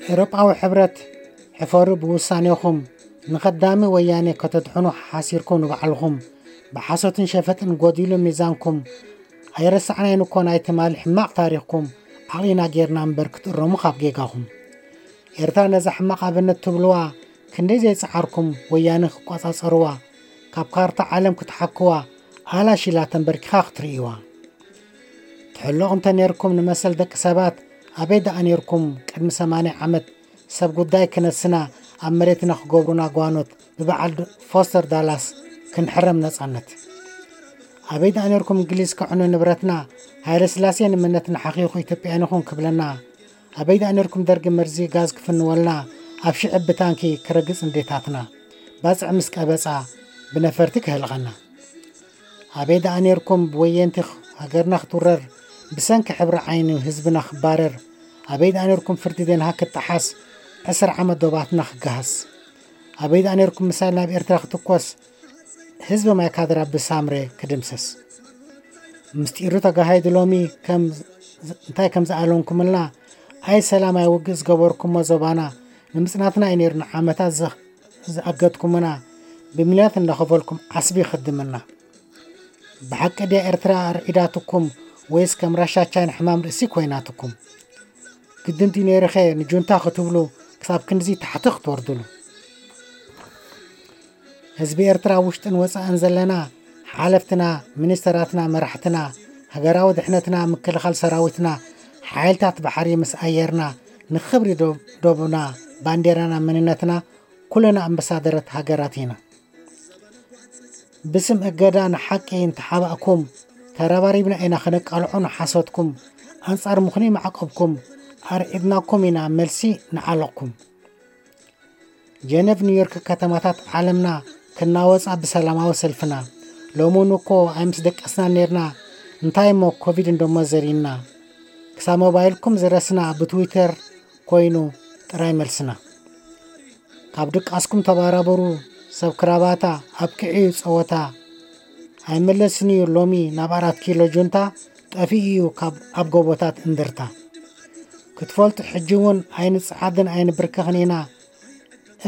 ኤውሮጳዊ ሕብረት፣ ሕፈሩ ብውሳኔኹም። ንኸዳሚ ወያኔ ከተድሕኑ ሓሲርኩም ንባዕልኹም፣ ብሓሶትን ሸፈጥን ጎዲሉ ሚዛንኩም። ኣይረሳዕናይን እኮ ናይ ትማሊ ሕማቕ ታሪኽኩም። ዓቕሊና ጌርና እምበር ክትእረሙ ካብ ጌጋኹም። ኤርትራ ነዛ ሕማቕ ኣብነት ትብልዋ ክንደይ ዘይጸዓርኩም ወያነ ክቋጻጸርዋ፣ ካብ ካርታ ዓለም ክትሓክዋ፣ ኣላሽ ኢላ ተንበርኪኻ ክትርእይዋ። ትሕለቑ እንተ ኔርኩም ንመሰል ደቂ ሰባት፣ ኣበይ ደኣ ኔርኩም ቅድሚ ሰማንያ ዓመት ሰብ ጉዳይ ክነስና ኣብ መሬትና ክገብሩና ጓኖት ብበዓል ፎስተር ዳላስ ክንሕረም ነጻነት? ኣበይ ደኣ ኔርኩም እንግሊዝ ከዕኑ ንብረትና፣ ሃይለ ስላሴ ንመነትና ሓኺኹ ኢትዮጵያን ይኹን ክብለና? ኣበይ ደኣ ኔርኩም ደርጊ መርዚ ጋዝ ክፍንወልና ኣብ ሽዕብ ብታንኪ ክረግጽ እንዴታትና ባጽዕ ምስ ቀበጻ ብነፈርቲ ክህልቐና? ኣበይ ደኣ ኔርኩም ብወየንቲ ሃገርና ክትውረር ብሰንኪ ሕብሪ ዓይኒ ህዝብና ክባረር? ኣበይ ደኣ ኔርኩም ፍርዲ ደንሃክ ክጠሓስ ዕስራ ዓመት ዶባትና ክገሃስ? ኣበይ ደኣ ኔርኩም ምሳይል ናብ ኤርትራ ክትኮስ ህዝቢ ማይ ካድራ ብሳምሬ ክድምሰስ? ምስጢሩ ተጋሂዱ ሎሚ ከም እንታይ ከም ዝኣለንኩምልና ኣይ ሰላም ኣይ ውግእ ዝገበርኩሞ ዞባና ንምጽናትና እዩ ነይሩ ንዓመታት ዘ- ዝኣገድኩምና ብሚልዮናት እንዳኸፈልኩም ዓስቢ ይኽድምና። ብሓቂ ድያ ኤርትራ ኣርዒዳትኩም ወይስ ከም ራሻ ቻይና ሕማም ርእሲ ኮይናትኩም? ግድን ድዩ ነይሩኸ ንጁንታ ክትብሉ ክሳብ ክንድዚ ታሕቲ ክትወርድሉ? ህዝቢ ኤርትራ ውሽጥን ወጻእን ዘለና ሓለፍትና፣ ሚኒስተራትና፣ መራሕትና፣ ሃገራዊ ድሕነትና፣ ምክልኻል ሰራዊትና፣ ሓይልታት ባሕሪ ምስ ኣየርና ንኽብሪ ዶ- ዶብና፣ ባንዴራና፣ መንነትና ኩልና ኣምባሳደራት ሃገራት ኢና። ብስም እገዳ ንሓቂ እንተሓባእኩም ተረባሪብና ኢና ክነቃልዖ ንሓሶትኩም ኣንጻር ምኽኑይ ማዕቀብኩም ኣርዒድናኩም ኢና መልሲ ንዓለቕኩም። ጀነቭ ኒውዮርክ ከተማታት ዓለምና ክናወጻ ብሰላማዊ ሰልፍና ሎሚ እውን እኮ ኣይምስ ደቀስና ነርና። እንታይ እሞ ኮቪድ እንደሞ ዘሪና ክሳብ ሞባይልኩም ዝረስና ብትዊተር ኮይኑ ጥራይ መልስና። ካብ ድቃስኩም ተባራበሩ ሰብ ክራባታ ኣብቅዒ እዩ ጸወታ። ኣይመለስን እዩ ሎሚ ናብ ኣራት ኪሎ ጁንታ ጠፊኡ እዩ ካብ ኣብ ጎቦታት እንድርታ። ክትፈልጡ ሕጂ እውን ኣይንጽዓድን ኣይንብርከኽን ኢና።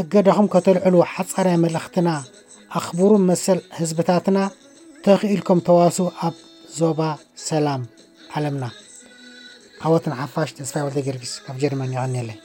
እገዳኹም ከተልዕሉ ሓጻራይ መልእኽትና ኣኽብሩ መሰል ህዝብታትና ተኽኢልኩም ተዋሱ ኣብ ዞባ ሰላም ዓለምና። ዓወት ንሓፋሽ። ተስፋይ ወልደ ጊዮርጊስ ካብ ጀርመን የቐንየለይ።